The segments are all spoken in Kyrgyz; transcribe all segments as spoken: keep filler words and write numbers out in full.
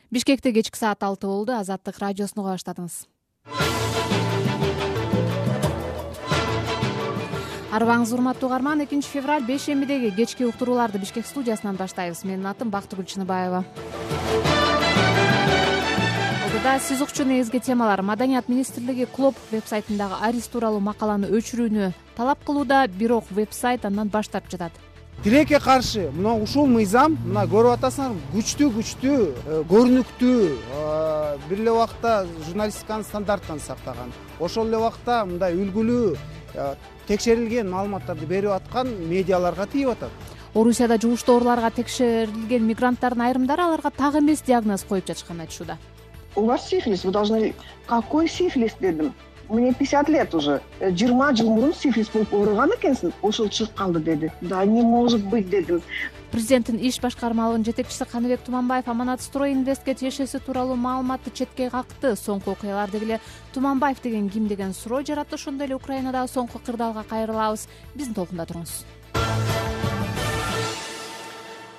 Бишкекте кечки саат алты болду. Азаттык радиосуну уга баштадыңыз. Арыбаңыз урматтуу угарман, экинчи февраль бейшембидеги кечки уктурууларды Бишкек студиясынан баштайбыз. Менин атым Бактыгүл Чыныбаева. Алдыда сиз укчу негизги темалар: Маданият министрлиги Клоп веб-сайтындагы Арис тууралуу макаланы өчүрүүнү талап кылууда, бирок веб-сайт андан баш тартып жатат. Тилекке каршы мына ушул мыйзам, мына көрүп атасыңар, күчтүү күчтүү, көрүнүктүү, бир эле убакта журналистиканын стандарттарын сактаган. Ошол эле убакта мындай үлгүлүү, текшерилген маалыматтарды берип аткан медиаларга тийип атат. Орусияда жугуштооруларга текшерилген мигранттардын айрымдары аларга так эмес диагноз коюп жатышканын айтышууда. У вас сифилис, вы должны... Какой сифилис, дедим? Мне пятьдесят лет уже. жыйырма жыл мурун сифилис болуп ооруган экенсиң, ошол чыгып калды, деди. Да не может быть, дедим. Президенттин иш башкармалыгынын жетекчиси Каныбек Туманбаев Аманат Строй Инвестке тиешеси тууралуу маалыматты четке какты. Соңку окуялар дегеле Туманбаев деген ким деген суроо жаратты. Ошондой эле Украинадагы соңку кырдаалга кайрылабыз. Биздин толкунда туруңуз.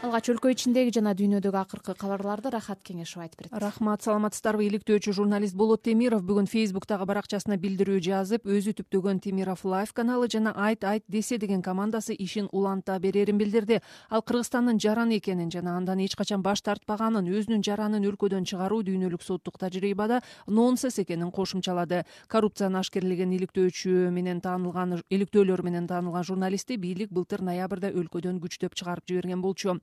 Алгач өлкө ичиндеги жана дүйнөдөгү акыркы кабарларды Рахат Кеңешов айтып берет. Рахмат, саламатсыздарбы? Иликтөөчү журналист Болот Темиров бүгүн Фейсбуктагы баракчасына билдирүү жазып, өзү түптөгөн Темиров Лайв каналы жана Айт Айт десе деген командасы ишин уланта берерин билдирди. Ал Кыргызстандын жараны экенин жана андан эч качан баш тартпаганын, өзүнүн жаранын өлкөдөн чыгаруу дүйнөлүк соттук тажрыйбада нонсенс экенин кошумчалады. Коррупцияны ашкерлеген иликтөөчү менен таанылган, иликтөөлөр менен таанылган журналистти бийлик былтыр ноябрда өлкөдөн күчтөп чыгарып жиберген болчу.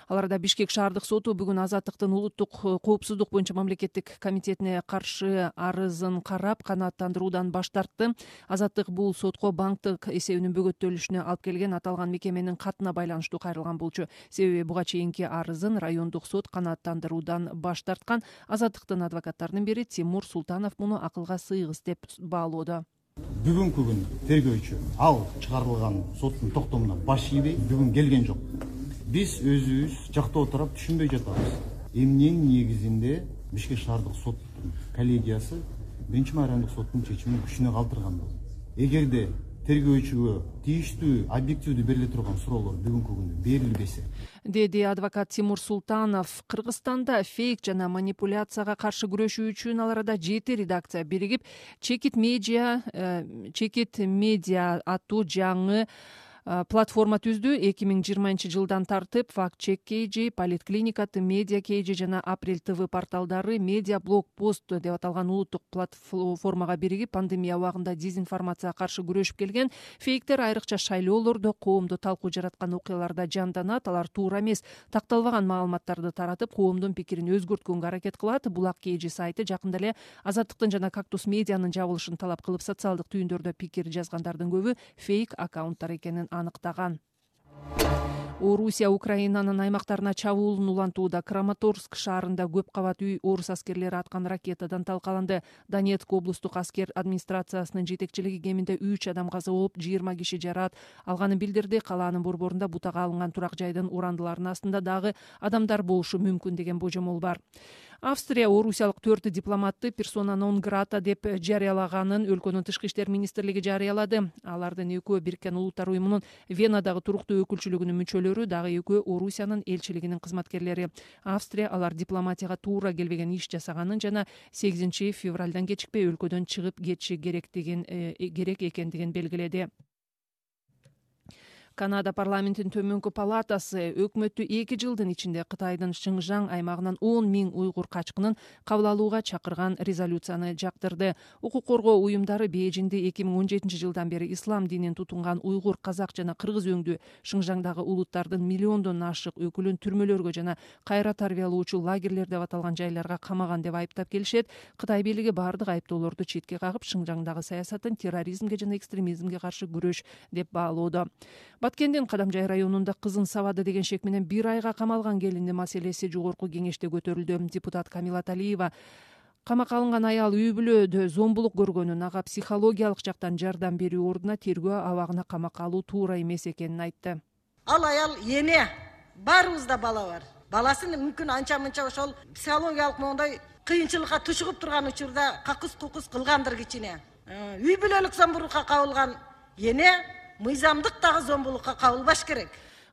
Аларда Бишкек шаардык соту бүгүн Азаттыктын улуттук коопсуздук боюнча мамлекеттик комитетине каршы арызын карап канааттандыруудан баш тартты. Азаттык бул сотко банктык эсебинин бөгөттөлүшүнө алып келген аталган мекеменин катына байланыштуу кайрылган болчу. Себеби буга чейинки арызын райондук сот канааттандыруудан баш тарткан. Азаттыктын адвокаттарынын бири Тимур Султанов муну акылга сыйгыз деп баалоодо. Бүгүнкү күн тергөөчү ал чыгарылган соттун токтомуна баш ийбей бүгүн келген жок. Биз өзүбүз жакта отуруп түшүнбөй жатабыз. Эмненин негизинде Бишкек шаардык соттун коллегиясы биринчи райондук соттун чечимин күчүнө калтырган болот. Эгерде тергөөчүгө тийиштүү, объективдүү бериле турган суроолор бүгүнкү күндө берилбесе, деди адвокат Тимур Султанов. Кыргызстанда фейк жана манипуляцияга каршы күрөшүү үчүн ал арада жети редакция биригип Чекит медиа, Чекит медиа аттуу жаңы платформа түздү. эки миң жыйырманчы жылдан тартып Факт Чек Кейжи, Политклиника, Медиа Кейжи жана Апрель ТВ порталдары Медиа Блог Пост деп аталган улуттук платформага биригип пандемия убагында дезинформацияга каршы күрөшүп келген. Фейктер айрыкча шайлоолордо коомдо талкуу жараткан окуяларда жанданат. Алар туура эмес, такталбаган маалыматтарды таратып, коомдун пикирин өзгөрткөнгө аракет кылат. Булак Кейжи сайты жакында эле Азаттыктын жана Кактус медианын жабылышын талап кылып, социалдык түйүндөрдө пикир жазгандардын көбү фейк аккаунттар экенин аныктаган. Орусия Украинанын аймактарына чабуулун улантууда. Краматорск шаарында көп кабат үй орус аскерлери аткан ракетадан талкаланды. Донецк облустук аскер администрациясынын жетекчилиги кеминде үч адам каза болуп, жыйырма киши жараат алганын билдирди. Калаанын борборунда бутага алынган турак жайдын урандыларынын астында дагы адамдар болушу мүмкүн деген божомол бар. Австрия орусиялык төрт дипломатты персона нон грата деп жарыялаганын өлкөнүн тышкы иштер министрлиги жарыялады. Алардын экөө Бириккен Улуттар уюмунун Венадагы туруктуу өкүлчүлүгүнүн мүчөлөрү, дагы экөө Орусиянын элчилигинин кызматкерлери. Австрия алар дипломатияга туура келбеген иш жасаганын жана сегизинчи февралдан кечикпей өлкөдөн чыгып кетиши керектигин керек экендигин белгиледи. Канада парламентинин төмөнкү палатасы өкмөттү эки жылдын ичинде Кытайдын Шыңжаң аймагынан он миң уйгур качкынын кабыл алууга чакырган резолюцияны жактырды. Укук коргоо уюмдары Бейжиңде эки миң он жетинчи жылдан бери ислам динин тутунган уйгур, казак жана кыргыз өңдүү Шыңжаңдагы улуттардын миллиондон ашык өкүлүн түрмөлөргө жана кайра тарбиялоочу лагерлер деп аталган жайларга камаган деп айыптап келишет. Кытай бийлиги бардык айыптоолорду четке кагып, Шыңжаңдагы саясатын терроризмге жана экстремизмге каршы күрөш деп баалоодо. Баткендин Кадамжай районунда кызын сабады деген шек менен бир айга камалган келиндин маселеси жогорку кеңеште көтөрүлдү. Депутат Камила Талиева камакка алынган аял үй бүлөдө зомбулук көргөнүн, ага психологиялык жактан жардам берүү ордуна тергөө абагына камакка алуу туура эмес экенин айтты. Ал аял эне, баарыбызда бала бар. Баласын мүмкүн анча-мынча ошол психологиялык моундай кыйынчылыкка тушугуп турган учурда какыс-кукус кылгандыр кичине. Үй бүлөлүк зомбулукка кабылган эне мыйзамдык дагы зомбулукка кабылбаш керек.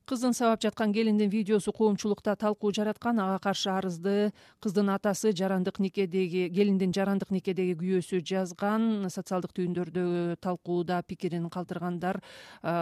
Кыздын сабап жаткан келиндин видеосу коомчулукта талкуу жараткан. Ага каршы арызды кыздын атасы жарандык никедеги келиндин жарандык никедеги күйөөсү жазган. Социалдык түйүндөрдө талкууда пикирин калтыргандар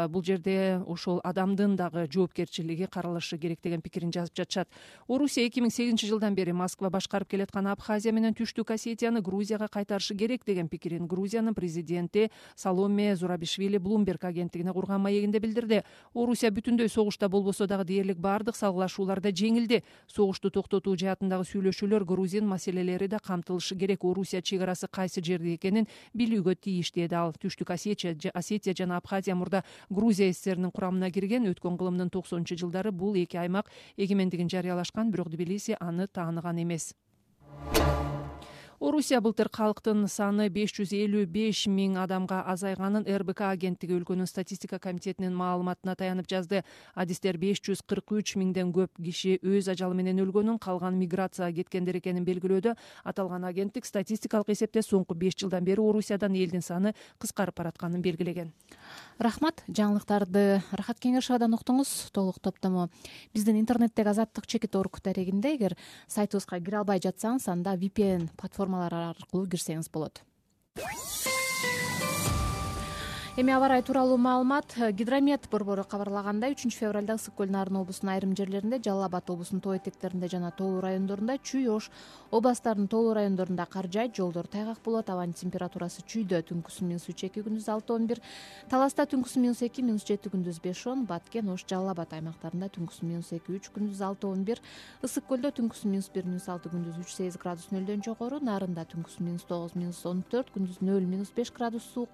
бул жерде ошол адамдын дагы жоопкерчилиги каралышы керек деген пикирин жазып жатышат. Орусия эки миң сегизинчи жылдан бери Москва башкарып келаткан Абхазия менен Түштүк Осетияны Грузияга кайтарышы керек деген пикирин Грузиянын президенти Саломе Зурабишвили Bloomberg агенттигине курган маегинде билдирди. Орусия бүтүндөй согуш болбосо дагы дээрлик баардык салгылашууларда жеңилди. Согушту токтотуу жаатындагы сүйлөшүүлөр, грузин маселелери да камтылышы керек. Орусия чек арасы кайсы жерде экенин билүүгө тийиш деди ал. Түштүк Осетия жана Абхазия мурда Грузия СССРнин курамына кирген. Өткөн кылымдын токсонунчу жылдары бул эки аймак эгемендигин жарыялашкан, бирок Тбилиси аны тааныган эмес. Орусия былтыр калктын саны беш жүз элүү беш миң адамга азайганын эр бэ ка агенттиги өлкөнүн статистика комитетинин маалыматына таянып жазды. Адистер беш жүз кырк үч миңден көп киши өз ажалы менен өлгөнүн, калган миграцияга кеткендер экенин белгилөөдө. Аталган агенттик статистикалык эсепте соңку беш жылдан бери Орусиядан элдин саны кыскарып баратканын белгилеген. Рахмат, жаңылыктарды Рахат Кеңешовадан уктуңуз. Толук топтому биздин интернеттеги Азаттык чекит орг дарегинде. Эгер сайтыбызга кире албай жатсаңыз, анда ви пи эн платформалар аркылуу кирсеңиз болот. Эми аба ырайы тууралуу маалымат. Гидромет борбору кабарлагандай, үчүнчү февралда Ысык көл Нарын облусунун айрым жерлеринде, Жалал Абад облусунун тоо этектеринде жана Тоолуу райондорунда, Чүй, Ош областарынын Тоолуу райондорунда кар жаайт, жолдор тайгак болот. Абанын температурасы Чүйдө түнкүсүн минус үч эки, күндүз алты он бир, Таласта түнкүсүн минус эки, минус жети, күндүз беш он, Баткен, Ош, Жалал Абад аймактарында түнкүсүн минус эки үч, күндүз алты он бир, Ысык көлдө түнкүсүн минус бир, минус алты, күндүз үч сегиз градус нөлдөн жогору, Нарында түнкүсүн минус тогуз, минус он төрт, күндүз нөл, минус беш градус суук.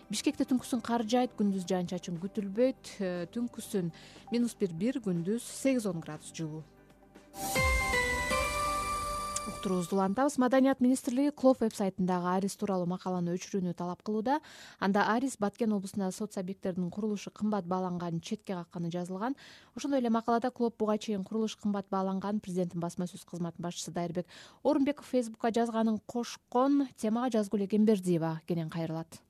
Бишкекте түнкүсүн кар жаайт, күндүз жаан чачын күтүлбөйт, түнкүсүн минус бир бир, күндүз сегиз он градус жылуу. Уктуруубузду улантабыз. Маданият министрлиги Клоп веб-сайтындагы Арис тууралуу макаланы өчүрүүнү талап кылууда. Анда Арис Баткен облусундагы соц объекттердин курулушу кымбат бааланганын четке какканы жазылган. Ошондой эле макалада Клоп буга чейин курулуш кымбат бааланган, президенттин басма сөз кызматынын башчысы Дайырбек Орунбеков Фейсбукка жазганын кошкон. Темага Жазгул Экенбердиева кенен кайрылат.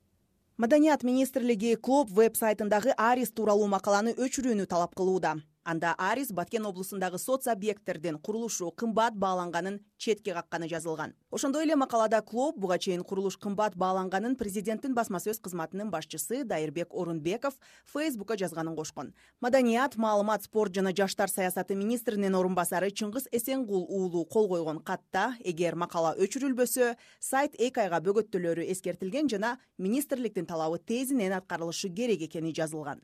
Маданият министрлиги Клоп веб-сайтындагы Арис тууралуу макаланы өчүрүүнү талап кылууда. Анда Арис Баткен облусундагы соц объекттердин курулушу кымбат бааланганын четке какканы жазылган. Ошондой эле макалада Клоп буга чейин курулуш кымбат бааланганын президенттин басма сөз кызматынын башчысы Дайырбек Орунбеков Фейсбукка жазганын кошкон. Маданият, маалымат, спорт жана жаштар саясаты министринин орун басары Чыңгыз Эсенгул уулу кол койгон катта эгер макала өчүрүлбөсө, сайт эки айга бөгөттөлөрү эскертилген жана министрликтин талабы тезинен аткарылышы керек экени жазылган.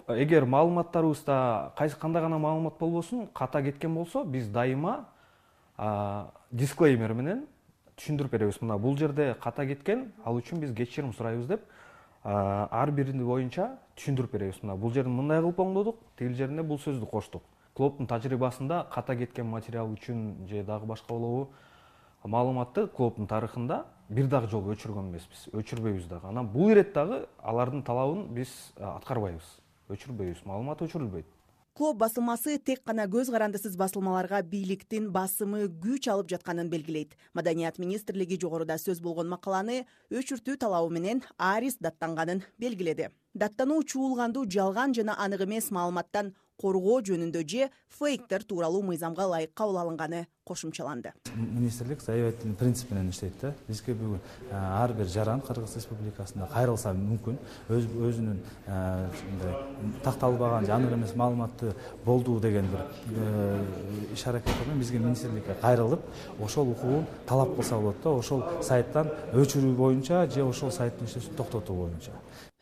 Эгер маалыматтарыбызда кайсы кандай гана маалымат болбосун, ката кеткен болсо, биз дайыма дисклеймер менен түшүндүрүп беребиз. Мына бул жерде ката кеткен, ал үчүн биз кечирим сурайбыз деп ар бирини боюнча түшүндүрүп беребиз. Мына бул жерде мындай кылып оңдодук, тигил жеринде бул сөздү коштук. Клоптун тажрыйбасында ката кеткен материал үчүн же дагы башка болобу маалыматты Клоптун тарыхында бир дагы жолу өчүргөн эмеспиз, өчүрбөйбүз дагы. Анан бул ирет дагы алардын талабын биз аткарбайбыз. Өчүрбөйбүз, маалымат өчүрүлбөйт. Клоп басылмасы тек гана көз карандысыз басылмаларга бийликтин басымы күч алып жатканын белгилейт. Маданият министрлиги жогоруда сөз болгон макаланы өчүртүү талабы менен Арис даттанганын белгиледи. Даттануу чуулгандуу жалган жана анык эмес маалыматтан коргоо жөнүндө же фейктер тууралуу мыйзамга ылайык кабыл алынганы кошумчаланды. Министрлик заявительный принцип менен иштейт да. Бизге бүгүн ар бир жаран Кыргыз Республикасында кайрылса мүмкүн, өз өзүнүн такталбаган же анык эмес маалыматты болду деген бир иш аракет менен бизге министрликке кайрылып, ошол укугун талап кылса болот да, ошол сайттан өчүрүү боюнча же ошол сайттын иштешин токтотуу боюнча.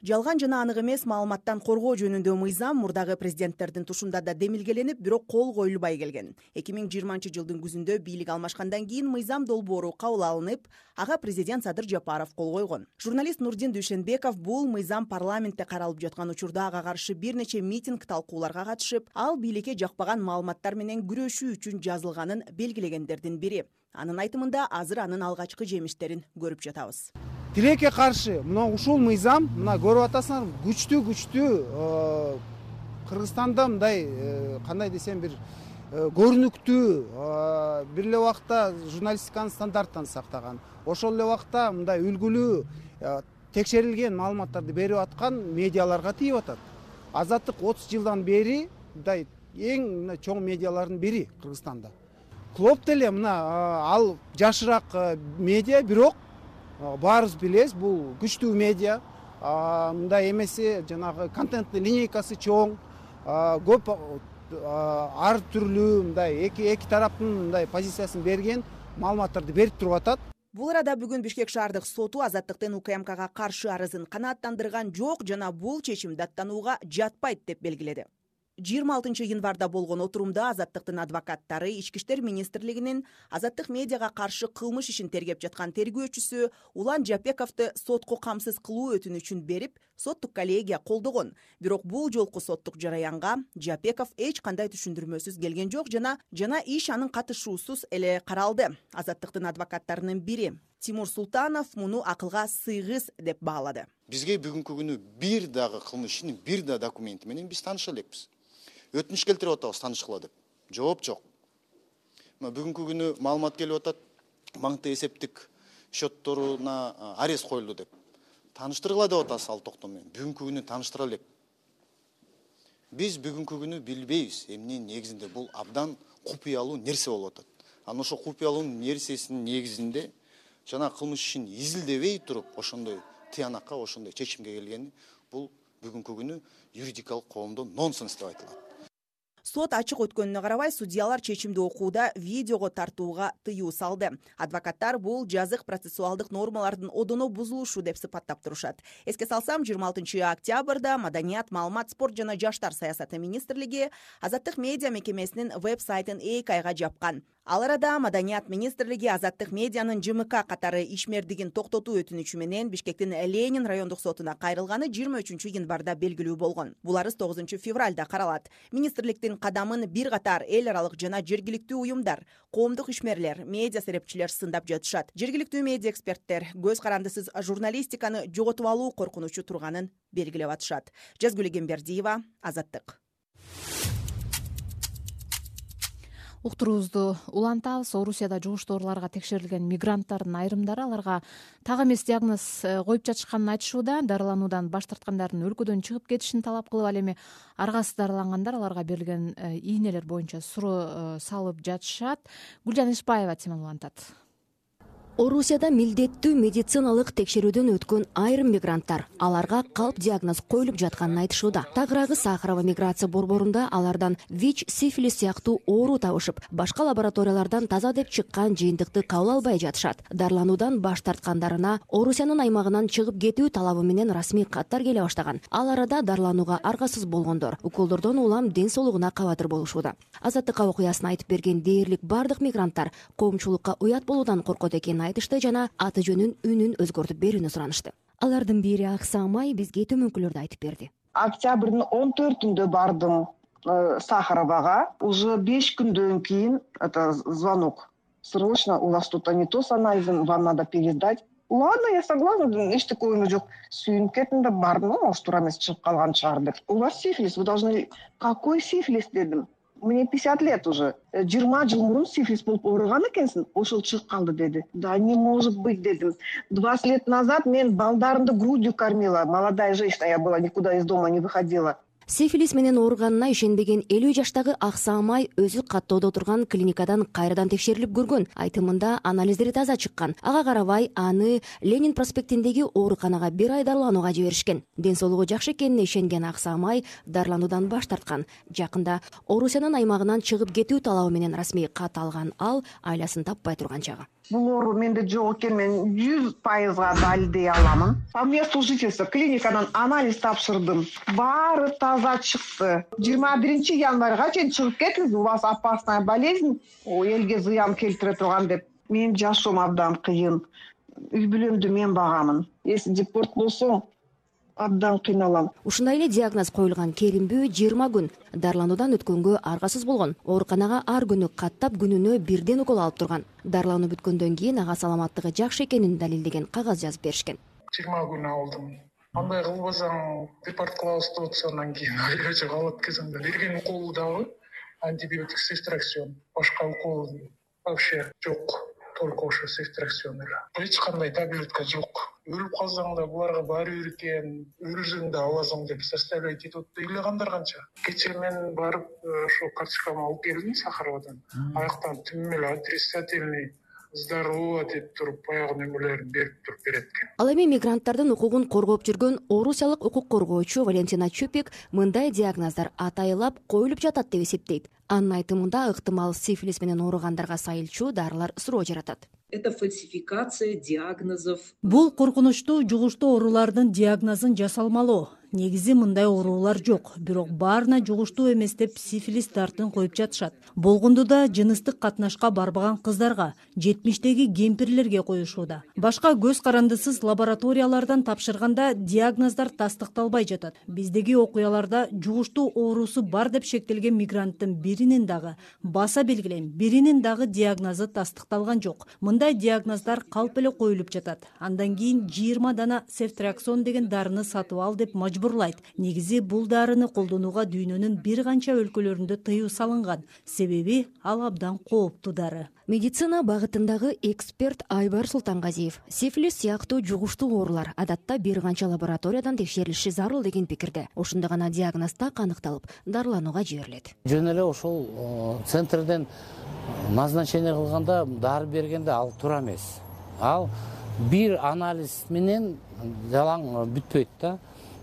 Жалган жана анык эмес маалыматтан коргоо жөнүндө мыйзам мурдагы президенттердин тушунда да демилгеленип, бирок кол коюлбай келген. эки миң жыйырманчы жылдын күзүндө бийлик алмашкандан кийин мыйзам долбоору кабыл алынып, ага президент Садыр Жапаров кол койгон. Журналист Нурдин Дүйшенбеков бул мыйзам парламентте каралып жаткан учурда ага каршы бир нече митинг талкууларга катышып, ал бийликке жакпаган маалыматтар менен күрөшүү үчүн жазылганын белгилегендердин бири. Анын айтымында азыр анын алгачкы жемиштерин көрүп жатабыз. Тилекке каршы мына ушул мыйзам, мына көрүп атасыңар, күчтүү күчтүү Кыргызстанда мындай кандай десем бир көрүнүктүү, бир эле убакта журналистиканын стандарттарын сактаган, ошол эле убакта мындай үлгүлүү текшерилген маалыматтарды берип аткан медиаларга тийип атат. Азаттык отуз жылдан бери мындай эң мына чоң медиалардын бири Кыргызстанда. Клоп деле мына ал жашыраак медиа, бирок баарыбыз билебиз, бул күчтүү медиа. Мындай эмеси жанагы контенттин линейкасы чоң, көп ар түрлүү мындай эки эки тараптын мындай позициясын берген маалыматтарды берип туруп атат. Бул арада бүгүн Бишкек шаардык соту Азаттыктын УКМКга каршы арызын канааттандырган жок жана бул чечим даттанууга жатпайт деп белгиледи. жыйырма алтынчы январда болгон отурумда Азаттыктын адвокаттары Ички иштер министрлигинин Азаттык медиага каршы кылмыш ишин тергеп жаткан тергөөчүсү Улан Жапековду сотко камсыз кылуу өтүнүчүн берип, соттук коллегия колдогон. Бирок бул жолку соттук жараянга Жапеков эч кандай түшүндүрмөсүз келген жок жана жана иш анын катышуусуз эле каралды. Азаттыктын адвокаттарынын бири Тимур Султанов муну акылга сыйгыз деп баалады. Бизге бүгүнкү күнү бир дагы кылмыш ишинин бир да документи менен биз тааныша элекпиз. Өтүнүш келтирип атабыз тааныштыкла деп. Жооп жок. Бүгүнкү күнү маалымат келип атат, банктык эсептик счетторуна арест коюлду деп. Тааныштыргыла деп атасыз ал токтом менен. Бүгүнкү күнү тааныштыра элек. Биз бүгүнкү күнү билбейбиз, эмненин негизинде бул абдан купуялуу нерсе болуп атат. Анан ошо купуялуу нерсесинин негизинде жана кылмыш ишин изилдебей туруп, ошондой тыянакка, ошондой чечимге келгени бул бүгүнкү күнү юридикалык коомдо нонсенс деп айтылат. Сот ачык өткөнүнө карабай, судьялар чечимди окууда видеого тартууга тыюу салды. Адвокаттар бул жазык процессуалдык нормалардын одоно бузулушу деп сыпаттап турушат. Эске салсам, жыйырма алтынчы октябрда Маданият, маалымат, спорт жана жаштар саясаты министрлиги Азаттык медиа мекемесинин веб-сайтын эки айга жапкан. Ал арада Маданият министрлиги Азаттык медианын ЖМК катары ишмердигин токтотуу өтүнүчү менен Бишкектин Ленин райондук сотуна кайрылганы жыйырма үчүнчү январда белгилүү болгон. Бул арыз тогузунчу февралда каралат. Министрликтин кадамын бир катар эл аралык жана жергиликтүү уюмдар, коомдук ишмерлер, медиа серепчилер сындап жатышат. Жергиликтүү медиа эксперттер көз карандысыз журналистиканы жоготуп алуу коркунучу турганын белгилеп атышат. Жазгүл Эгембердиева, Азаттык. Уктуруубузду улантабыз. Орусияда жугуштуу ооруларга текшерилген мигранттардын айрымдары аларга так эмес диагноз коюп жатышканын айтышууда. Дарылануудан баш тарткандардын өлкөдөн чыгып кетишин талап кылып, ал эми аргасыз дарылангандар аларга берилген ийнелер боюнча суроо салып жатышат. Гүлжан Ишбаева теманы улантат. Орусияда милдеттүү медициналык текшерүүдөн өткөн айрым мигранттар аларга калп диагноз коюлуп жатканын айтышууда. Тагыраагы Сахарова миграция борборунда алардан ВИЧ, сифилис сыяктуу оору табышып, башка лабораториялардан таза деп чыккан жыйынтыкты кабыл албай жатышат. Дарылануудан баш тарткандарына Орусиянын аймагынан чыгып кетүү талабы менен расмий каттар келе баштаган. Ал арада дарыланууга аргасыз болгондор уколдордон улам ден соолугуна кабатыр болушууда. Азаттыкка окуясын айтып берген дээрлик бардык мигранттар коомчулукка уят болуудан коркот экенин айтышты жана аты жөнүн үнүн өзгөртүп берүүнү суранышты. Алардын бири Аксамай бизге төмөнкүлөрдү айтып берди. Октябрдын он төртүндө бардым Сахаровага. Уже беш күндөн кийин это звонок. Срочно, у вас тут не то с анализом, вам надо пересдать. Ладно, я согласна, эчтеке оюм жок. Сүйүнүп кеттим да бардым, может, туура эмес чыгып калган чыгар деп. У вас сифилис, вы должны... Какой сифилис дедим? Мне пятьдесят лет уже. жыйырма жыл мурун сифилис болуп ооруган экенсиң, ошол чыгып калды деди. Да не может быть дедим. двадцать лет назад мен балдарымды грудью кормила. Молодая женщина я была, никуда из дома не выходила. Сифилис менен ооруганына ишенбеген элүү жаштагы Аксамай өзү каттоодо турган клиникадан кайрадан текшерилип көргөн. Айтымында анализдери таза чыккан. Ага карабай аны Ленин проспектиндеги ооруканага бир ай дарыланууга жиберишкен. Ден соолугу жакшы экенине ишенген Аксамай дарылануудан баш тарткан. Жакында Орусиянын аймагынан чыгып кетүү талабы менен расмий кат алган ал айласын таппай турган чагы. Бул оору менде жок экен, мен жүз пайызга далилдей аламын. По месту жительства клиникадан анализ тапшырдым. Баары таза чыкты. жыйырма биринчи январга чейин чыгып кетиңиз, у вас опасная болезнь, элге зыян келтире турган деп. Менин жашоом абдан кыйын. Үй бүлөмдү мен багамын. Если депорт болсо, абдан кыйналам. Ушундай эле диагноз коюлган Керимбүү жыйырма күн дарылануудан өткөнгө аргасыз болгон. Ооруканага ар күнү каттап күнүнө бирден укол алып турган. Дарылануу бүткөндөн кийин ага саламаттыгы жакшы экенин далилдеген кагаз жазып беришкен. жыйырма күн алдым. Андай кылбасаң, депорт кылабыз деп атса, андан кийин айрача калат экенсиң да. Берген укол дагы антибиотик с экстракцион. Башка укол вообще жок. только ошо цифтракцион эле. Эч кандай таблетка жок. Өлүп калсаң да буларга баары бир экен, өлсөң да аласың деп составлять этип атты. Ыйлагандар канча. Кечээ мен барып ошо карточкамды алып келдим Сахаровадан. Аяктан түмүм эле отрицательный здорово деп туруп баягы нөмөлөрүн берип туруп берет экен. Ал эми мигранттардын укугун коргоп жүргөн орусиялык укук коргоочу Валентина Чупик мындай диагноздар атайылап коюлуп жатат деп эсептейт. Анын айтымында ыктымал сифилис менен ооругандарга сайылчу дарылар суроо жаратат. Это фальсификация диагнозов. Бул коркунучтуу жугуштуу оорулардын диагнозун жасалмалоо. Негизи мындай оорулар жок, бирок баарына жугуштуу эмес деп сифилис дартын коюп жатышат. Болгонду да жыныстык катнашка барбаган кыздарга, жетимиштеги кемпирлерге коюшууда. Башка көз карандысыз лабораториялардан тапшырганда диагноздар тастыкталбай жатат. Биздеги окуяларда жугуштуу оорусу бар деп шектелген мигранттын биринин дагы баса белгилейм, биринин дагы диагнозу тастыкталган жок. Мындай диагноздар калп эле коюлуп жатат. Андан кийин жыйырма дана цефтриаксон деген дарыны сатып ал деп мажбурлайт. Негизи бул дарыны колдонууга дүйнөнүн бир канча өлкөлөрүндө тыюу салынган. Себеби ал абдан кооптуу дары. Медицина багытындагы эксперт Айбар Султангазиев сифилис сыяктуу жугуштуу оорулар адатта бир канча лабораториядан текшерилиши зарыл деген пикирде. Ошондо гана диагноз так аныкталып, дарыланууга жиберилет. Жөн эле ошол центрден назначение кылганда дары бергенде ал туура эмес. Ал бир анализ менен жалаң бүтпөйт да.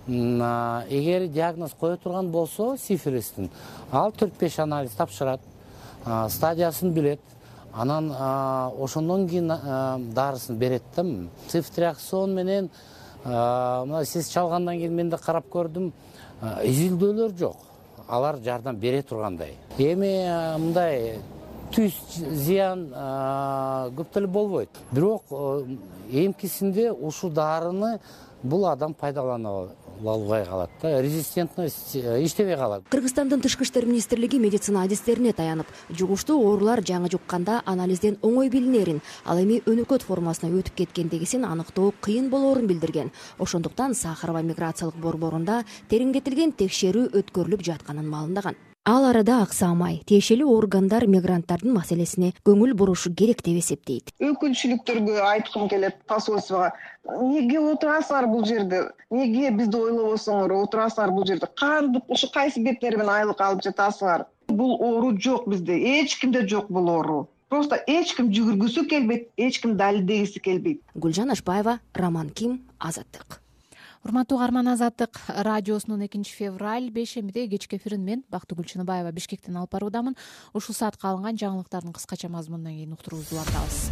Эгер диагноз кое турган болсо сифилистин, ал төрт беш анализ тапшырат, стадиясын билет, анан ошондон кийин дарысын берет да. Цифтриаксон менен мына сиз чалгандан кийин мен да карап көрдүм, изилдөөлөр жок. Алар жардам бере тургандай. Эми мындай түз зыян көп деле болбойт. Бирок эмкисинде ушул дарыны бул адам пайдалана албай калат да, резистентность иштебей калат. Кыргызстандын тышкы иштер министрлиги медицина адистерине таянып, жугуштуу оорулар жаңы жукканда анализден оңой билинерин, ал эми өнөкөт формасына өтүп кеткендигисин аныктоо кыйын болоорун билдирген. Ошондуктан Сахарова миграциялык борборунда териңдетилген текшерүү өткөрүлүп жатканын маалымдаган. Ал арада аксамай, тиешелүү органдар мигранттардын маселесине көңүл бурушу керек деп эсептейт. Өкүлчүлүктөргө айткым келет, посольствого. Неге отурасыңар бул жерде? Неге бизди ойлобосоңор, отурасыңар бул жерде? Кантип ушу кайсы беттери менен айлык алып жатасыңар? Бул оору жок бизде, эч кимде жок бул оору. Просто эч ким жүгүргүсү келбейт, эч ким далилдегиси келбейт. Гүлжан Ашбаева, Роман Ким, Азаттык. Урматтуу угарман, Азаттык радиосунун экинчи февраль бешембиде кечки эфирин мен Бактыгүл Чыныбаева Бишкектен алып баруудамын. Ушул саатка алынган жаңылыктардын кыскача мазмунунан кийин уктуруубузду улантабыз.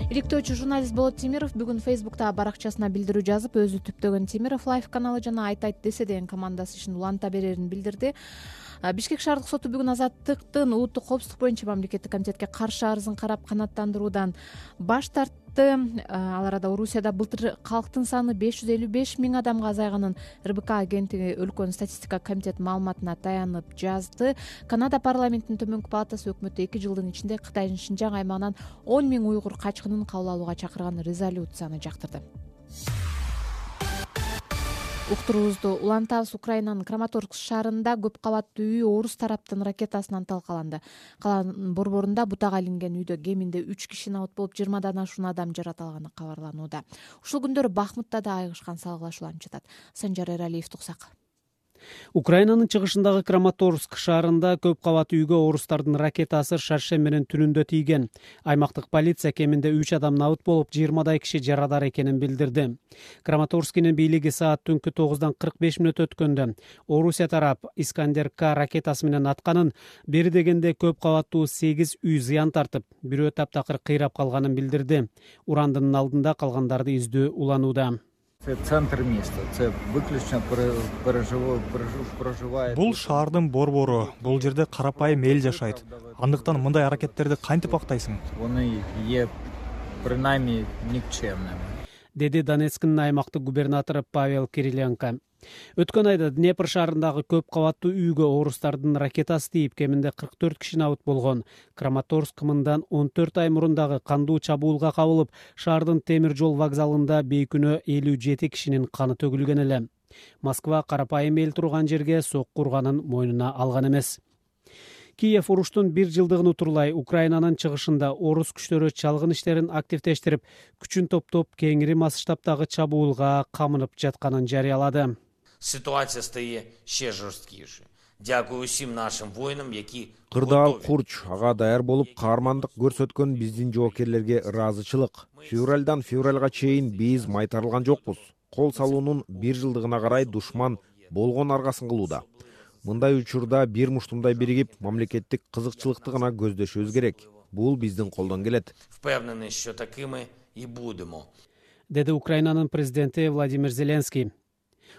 Иликтөөчү журналист Болот Темиров бүгүн Фейсбукта баракчасына билдирүү жазып, өзү түптөгөн Темиров Лайф каналы жана Айт айт десе деген командасы ишин уланта берерин билдирди. Бишкек шаардык соту бүгүн Азаттыктын улуттук коопсуздук боюнча мамлекеттик комитетке каршы арызын карап канааттандыруудан баш тартты. Ал арада Орусияда былтыр калктын саны беш жүз элүү беш миң адамга азайганын эр бэ ка агенттиги өлкөнүн статистика комитети маалыматына таянып жазды. Канада парламентинин төмөнкү палатасы өкмөттү эки жылдын ичинде Кытайдын Шинжаң аймагынан он миң уйгур качкынын кабыл алууга чакырган резолюцияны жактырды. Уктуруубузду улантабыз. Украинанын Краматорск шаарында көп кабаттуу үй орус тараптын ракетасынан талкаланды. Каланын борборунда бутага илинген үйдө кеминде үч киши набыт болуп, жыйырмадан ашуун адам жаратылганы кабарланууда. Ушул күндөрү Бахмутта да айыгышкан салгылашууланып жатат. Санжар Эралиев туксак. Украинанын чыгышындагы Краматорск шаарында көп кабаттуу үйгө орустардын ракетасы шаршембинин түнүндө тийген. Аймактык полиция кеминде үч адам набыт болуп, жыйырмадай киши жарадар экенин билдирди. Краматорскинин бийлиги саат түнкү тогуздан кырк беш мүнөт өткөндө Орусия тарап Искандер К ракетасы менен атканын, бери дегенде көп кабаттуу сегиз үй зыян тартып, бирөө таптакыр кыйрап калганын билдирди. Урандынын алдында калгандарды издөө уланууда. Центр места, це выключно проживает. Бул шаардын борбору, бул жерде карапайым эл жашайт. Андыктан мындай аракеттерди кантип актайсың? Они е принаймни никчемными. Деди Донецктин аймактык губернатору Павел Кириленко. Өткөн айда Днепр шаарындагы көп кабаттуу үйгө орустардын ракетасы тийип, кеминде кырк төрт киши набыт болгон. Краматорск мындан он төрт ай мурун дагы кандуу чабуулга кабылып, шаардын темир жол вокзалында бейкүнөө элүү жети кишинин каны төгүлгөн эле. Москва карапайым эл турган жерге сокку урганын мойнуна алган эмес. Киев уруштун бир жылдыгын утурлай Украинанын чыгышында орус күчтөрү чалгын иштерин активдештирип, күчүн топтоп кеңири масштабтагы чабуулга камынып жатканын жарыялады. Ситуация стає ще жорсткіше. Дякую усім нашим воїнам, які Кырдаал Курч ага даяр болуп каармандык көрсөткөн биздин жоокерлерге ыраазычылык. Февралдан февралга чейин биз майтарылган жокпуз. Кол салуунун бир жылдыгына карай душман болгон аргасын кылууда. Мындай учурда бир муштумдай биригип, мамлекеттик кызыкчылыкты гана көздөшүбүз керек. Бул биздин колдон келет. Впевнений, що такими і будемо. Деди Украинанын президенти Владимир Зеленский.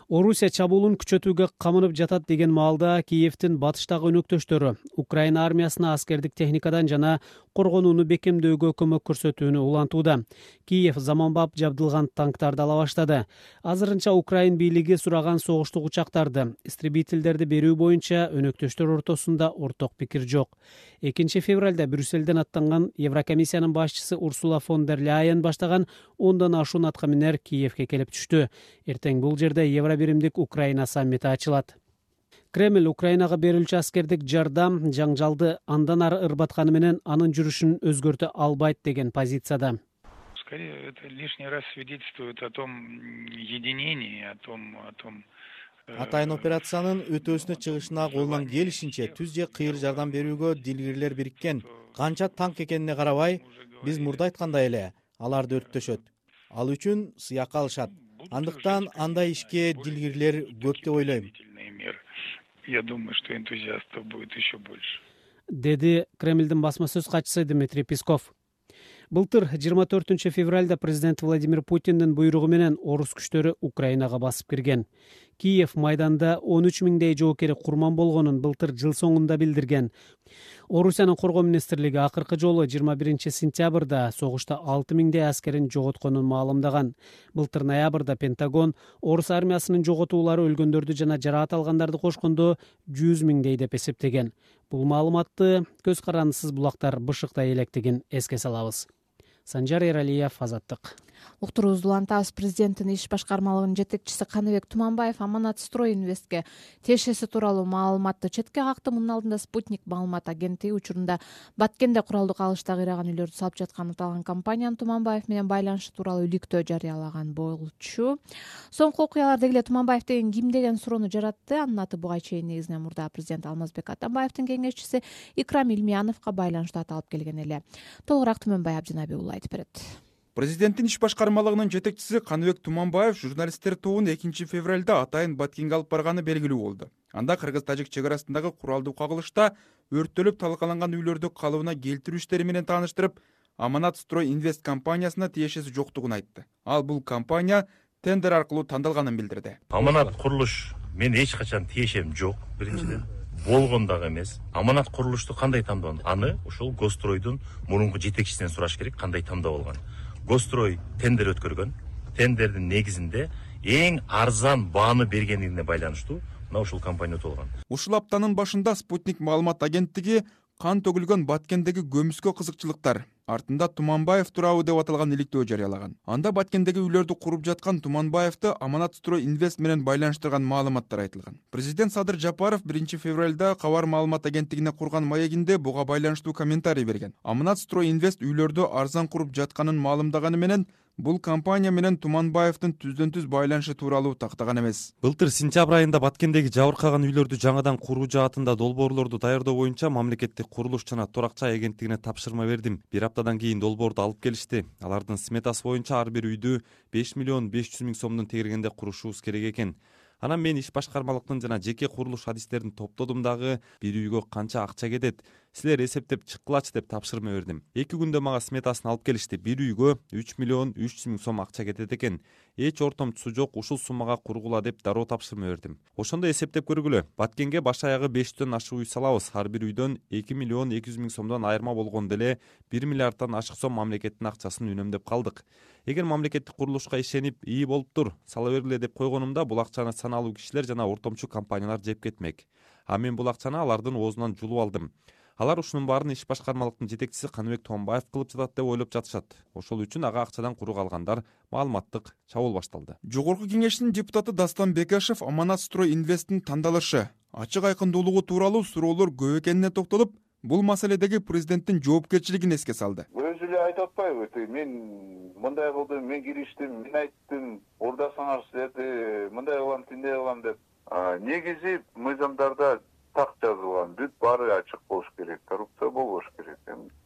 Орусия чабуулун күчөтүүгө камынып жатат деген маалда Киевдин батыштагы өнөктөштөрү Украина армиясына аскердик техникадан жана коргонууну бекемдөөгө көмөк көрсөтүүнү улантууда. Киев заманбап жабдылган танктарды ала баштады. Азырынча Украин бийлиги сураган согуштук учактарды, истребительдерди берүү боюнча өнөктөштөр ортосунда орток пикир жок. экинчи февралда Брюсселден аттанган Еврокомиссиянын башчысы Урсула фон дер Ляйен баштаган ондон ашуун атка минер Киевге келип түштү. Эртең бул жерде Евробиримдик Украина саммити ачылат. Кремль Украинага берилчү аскердик жардам жаңжалды андан ары ырбатканы менен анын жүрүшүн өзгөртө албайт деген позицияда. Скорее, это лишний раз свидетельствует о том единении, о том, о том. Атайын операциянын өтөөсүнө чыгышына колунан келишинче түз же кыйыр жардам берүүгө дилгирлер бириккен. Канча танк экенине карабай, биз мурда айткандай эле аларды өрттөшөт. Ал үчүн сыякка алышат. Андыктан андай ишке дилгирлер көп деп ойлойм. Я думаю, что энтузиастов будет еще больше. Деди Кремлдин басма сөз катчысы Дмитрий Песков. Былтыр жыйырма төртүнчү февралда президент Владимир Путиндин буйругу менен орус күчтөрү Украинага басып кирген. Киев майданда он үч миңдей жоокери курман болгонун былтыр жыл соңунда билдирген. Орусиянын коргоо министрлиги акыркы жолу жыйырма биринчи сентябрда согушта алты миңдей аскерин жоготконун маалымдаган. Былтыр ноябрда Пентагон орус армиясынын жоготуулары өлгөндөрдү жана жараат алгандарды кошкондо жүз миңдей деп эсептеген. Бул маалыматты көз карандысыз булактар бышыктай электигин эске салабыз. Санжар Эралиев, Азаттык. Уктуруубузду улантабыз. Президенттин иш башкармалыгынын жетекчиси Каныбек Туманбаев Аманат Строй Инвестке тиешеси тууралуу маалыматты четке какты. Мунун алдында Спутник маалымат агенттиги учурунда Баткенде куралдык алышта кыйраган үйлөрдү салып жатканын аталган компаниянын Туманбаев менен байланышы тууралуу иликтөө жарыялаган болчу. Соңку окуялар деги эле Туманбаев деген ким деген суроону жаратты. Анын аты буга чейин негизинен мурда президент Алмазбек Атамбаевдин кеңешчиси Икрам Илмияновго байланыштуу аталып келген эле. Толугураак Түмөнбай Абдинабек уулу айтып берет. Президенттин иш башкармалыгынын жетекчиси Каныбек Туманбаев журналисттер тобун экинчи февралда атайын Баткенге алып барганы белгилүү болду. Анда кыргыз-тажик чек арасындагы куралдуу кагылышта өрттөлүп талкаланган үйлөрдү калыбына келтирүү иштери менен тааныштырып, Аманат Строй Инвест компаниясына тиешеси жоктугун айтты. Ал бул компания тендер аркылуу тандалганын билдирди. Аманат курулуш мен эч качан тиешем жок, биринчиден. Болгон дагы эмес. Аманат курулушту кандай тандаган? Аны ошол Гостройдун мурунку жетекчисинен сураш керек, кандай тандап алган. Гострой тендер өткөргөн. Тендердин негизинде эң арзан бааны бергендигине байланыштуу мына ушул компания өтүп алган. Ушул аптанын башында Спутник маалымат агенттиги кан төгүлгөн Баткендеги көмүскө кызыкчылыктар артында Туманбаев тууралуу деп аталган иликтөө жарыялаган. Анда Баткендеги үйлөрдү куруп жаткан Туманбаевди Аманат Строй Инвест менен байланыштырган маалыматтар айтылган. Президент Садыр Жапаров биринчи февралда Кабар маалымат агенттигине курган маегинде буга байланыштуу комментарий берген. Аманат Строй Инвест үйлөрдү арзан куруп жатканын маалымдаганы менен бул компания менен Туманбаевдин түздөн-түз байланышы тууралуу тактаган эмес. Былтыр сентябрь айында Баткендеги жабыркаган үйлөрдү жаңадан куруу жаатында долбоорлорду даярдоо боюнча мамлекеттик курулуш жана турак-жай агенттигине тапшырма бердим. Бир аптадан кийин долбоорду алып келишти. Алардын сметасы боюнча ар бир үйдү беш миллион беш жүз миң сомдун тегергенде курушубуз керек экен. Анан мен иш башкармалыктын жана жеке курулуш адистерин топтодум дагы бир үйгө канча акча кетет, силер эсептеп чыккылачы деп тапшырма бердим. Эки күндө мага сметасын алып келишти. Бир үйгө үч миллион үч жүз миң сом акча кетет экен. Эч ортомчусу жок, ушул суммага кургула деп дароо тапшырма бердим. Ошондо эсептеп көргүлө. Баткенге баш аягы бештен ашык үй салабыз. Ар бир үйдөн эки миллион эки жүз миң сомдон айырма болгондо эле бир миллиарддан ашык сом мамлекеттин акчасын үнөмдөп калдык. Эгер мамлекеттик курулушка ишенип, ии болуптур, сала бергиле деп койгонумда бул акчаны саналуу кишилер жана ортомчу компаниялар жеп кетмек. А мен бул акчаны алардын оозунан жулуп алдым. Алар ушунун баарын иш башкармалыктын жетекчиси Каныбек Туманбаев кылып жатат деп ойлоп жатышат. Ошол үчүн ага акчадан куру калгандар маалыматтык чабуул башталды. Жогорку кеңештин депутаты Дастан Бекешев Аманат Строй Инвесттин тандалышы, ачык айкындуулугу тууралуу суроолор көп экенине токтолуп, бул маселедеги президенттин жоопкерчилигин эске салды. Өзү эле айтып атпайбы, мен мындай кылдым, мен кириштим, мен айттым, ордасыңар силерди мындай кылам, тиндей кылам деп. Негизи мыйзамдарда так жазылган, бүт баары ачык болуш керек, коррупция болбош керек.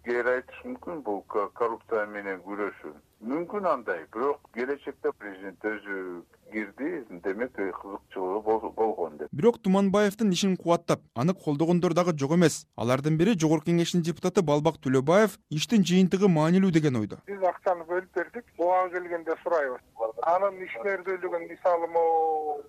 Кээ айтыш мүмкүн, бул коррупция менен күрөшүү мүмкүн андай, бирок келечекте президент өзү кирди, демек кызыкчылыгы болгон деп. Бирок Туманбаевдин ишин кубаттап, аны колдогондор дагы жок эмес. Алардын бири Жогорку Кеңештин депутаты Балбак Төлөбаев иштин жыйынтыгы маанилүү деген ойдо. Биз акчаны бөлүп бердик, буга келгенде сурайбыз. Анын ишмердүүлүгүн, мисалы,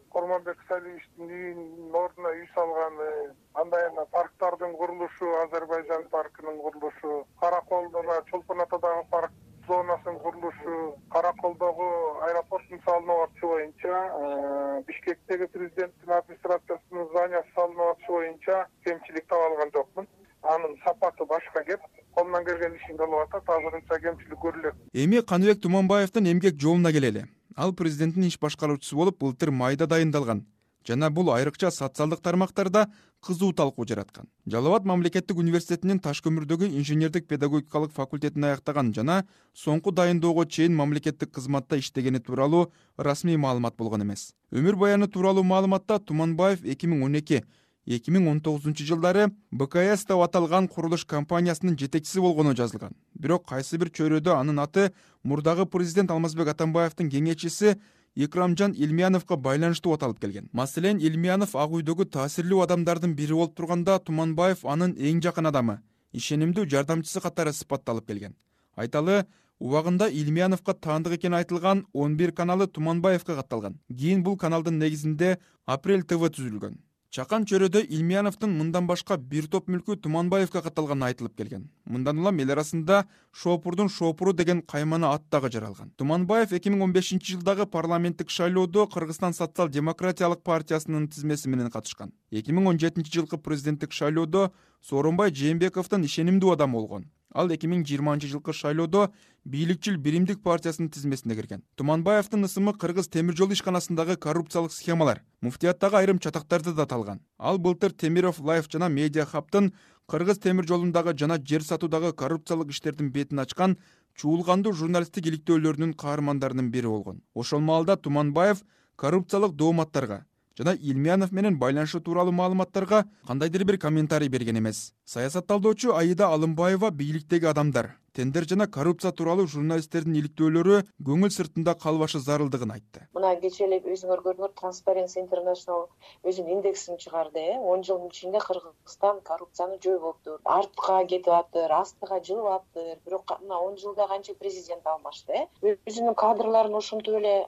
Корманбек Салиевичтин үйүнүн ордуна үй салганы, андай эле парктардын курулушу, Азербайжан паркынын курулушу, Караколдо, Чолпон Атадагы парк зонасын курулушу, Караколдогу аэропорттун салынып атышы боюнча, Бишкектеги президенттин администрациясынын зданиясы салынып атышы боюнча кемчилик таба алган жокмун. Анын сапаты башка кеп, колунан келген ишин кылып атат, азырынча кемчилик көрүлөт. Эми Каныбек Туманбаевдин эмгек жолуна келели. Ал президенттин иш башкаруучусу болуп былтыр майда дайындалган. Жана бул айрыкча социалдык тармактарда кызуу талкуу жараткан. Жалал Абад мамлекеттик университетинин таш көмүрдөгү инженердик педагогикалык факультетин аяктаган жана соңку дайындоого чейин мамлекеттик кызматта иштегени тууралуу расмий маалымат болгон эмес. Өмүр баяны тууралуу маалыматта Туманбаев эки миң он эки эки миң он тогузунчу жылдары Б К С деп аталган курулуш компаниясынын жетекчиси болгону жазылган. Бирок кайсы бир чөйрөдө анын аты мурдагы президент Алмазбек Атамбаевдин кеңешчиси Икрамжан Илмияновго байланыштуу аталып келген. Маселен, Илмиянов Ак үйдөгү таасирлүү адамдардын бири болуп турганда, Туманбаев анын эң жакын адамы, ишенимдүү жардамчысы катары сыпатталып келген. Айталы, убагында Илмияновго таандык экени айтылган он бир каналы Туманбаевге катталган. Кийин бул каналдын негизинде Апрель Т В түзүлгөн. Чакан чөйрөдө Илмияновдун мындан башка бир топ мүлкү Туманбаевге катталганы айтылып келген. Мындан улам эл арасында Шопурдун Шопуру деген каймана ат дагы жаралган. Туманбаев эки миң он бешинчи жылдагы парламенттик шайлоодо Кыргызстан социал-демократиялык партиясынын тизмеси менен катышкан. эки миң он жетинчи жылкы президенттик шайлоодо Сооронбай Жээнбековдун ишенимдүү адамы болгон. Ал эки миң жыйырманчы жылкы шайлоодо бийликчил Биримдик партиясынын тизмесине кирген. Туманбаевдин ысымы Кыргыз темир жол ишканасындагы коррупциялык схемалар, муфтияттагы айрым чатактарды да талган. Ал былтыр Темиров Лайф жана Медиа Хабтын Кыргыз темир жолундагы жана жер сатуудагы коррупциялык иштердин бетин ачкан чуулгандуу журналисттик иликтөөлөрүнүн каармандарынын бири болгон. Ошол маалда Туманбаев коррупциялык дооматтарга жана Илмиянов менен байланышы тууралуу маалыматтарга кандайдыр бир комментарий берген эмес. Саясатталдоочу Аида Алымбаева бийликтеги адамдар, тендер жана коррупция тууралуу журналисттердин иликтөөлөрү көңүл сыртында калбашы зарылдыгын айтты. Мына кечээ эле өзүңөр көрдүңөр, Transparency International өзүнүн индексин чыгарды. он жылдын ичинде Кыргызстан коррупцияны жойбоптур, артка кетип атыр, астыга жылып атыр. Бирок мына он жылда канча президент алмашты. Өзүнүн кадрларын ошентип эле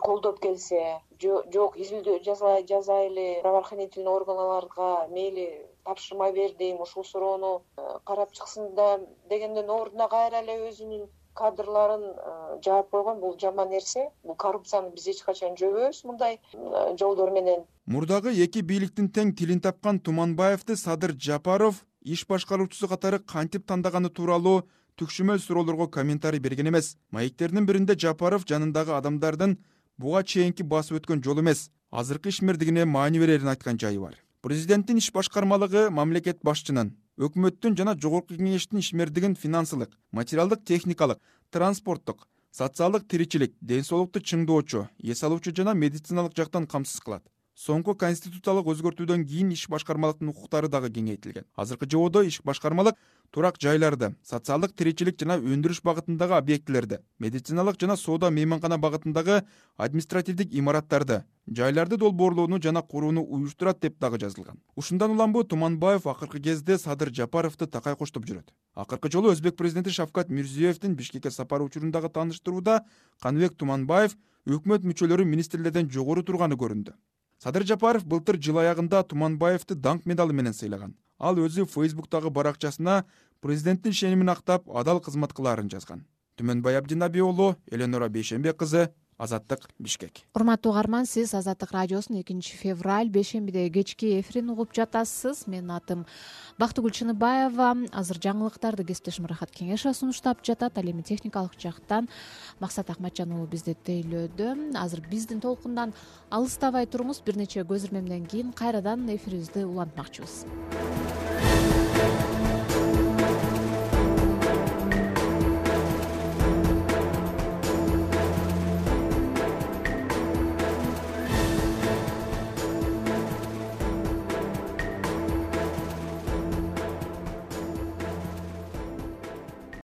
колдоп келсе, жок изилдөө жазайлы, правоохранительный органдарга мейли тапшырма бердим, ушул суроону карап чыксын да дегенден ордуна кайра эле өзүнүн кадрларын жаап койгон. Бул жаман нерсе. Бул коррупцияны биз эч качан жойбойбуз мындай жолдор менен. Мурдагы эки бийликтин тең тилин тапкан Туманбаевди Садыр Жапаров иш башкаруучусу катары кантип тандаганы тууралуу түкшүмөл суроолорго комментарий берген эмес. Маектердин биринде Жапаров жанындагы адамдардын буга чейинки басып өткөн жол эмес, азыркы ишмердигине маани берерин айткан жайы бар. Президенттин иш башкармалыгы мамлекет башчынын, өкмөттүн жана Жогорку Кеңештин ишмердигин финансылык, материалдык, техникалык, транспорттук, социалдык тиричилик, ден соолукту чыңдоочу, эс алуучу жана медициналык жактан камсыз кылат. Соңку конституциялык өзгөртүүдөн кийин иш башкармалыктын укуктары дагы кеңейтилген. Азыркы жободо иш башкармалык турак жайларды, социалдык тиричилик жана өндүрүш багытындагы объектилерди, медициналык жана соода мейманкана багытындагы административдик имараттарды, жайларды долбоорлоону жана курууну уюштурат деп дагы жазылган. Ушундан улам бу Туманбаев акыркы кезде Садыр Жапаровду такай коштоп жүрөт. Акыркы жолу Өзбек президенти Шавкат Мирзиёевдин Бишкекке сапары учурундагы тааныштырууда Каныбек Туманбаев өкмөт мүчөлөрү министрлерден жогору турганы көрүндү. Садыр Жапаров былтыр жыл аягында Туманбаевди даңк медалы менен сыйлаган. Ал өзү Фейсбуктагы баракчасына президенттин ишенимин актап, адал кызмат кылаарын жазган. Түмөнбай Абдинабий уулу, Эленора Бейшенбек кызы, Азаттык, Бишкек. Урматтуу угарман, сиз Азаттык радиосунун экинчи февраль бейшембиде кечки эфирин угуп жатасыз. Менин атым Бактыгүл Чыныбаева. Азыр жаңылыктарды кесиптешим Рахат Кеңешова сунуштап жатат. Ал эми техникалык жактан Максат Акматжан уулу бизди тейлөөдө. Азыр биздин толкундан алыстабай туруңуз. Бир нече көз ирмемден кийин кайрадан эфирибизди улантмакчыбыз.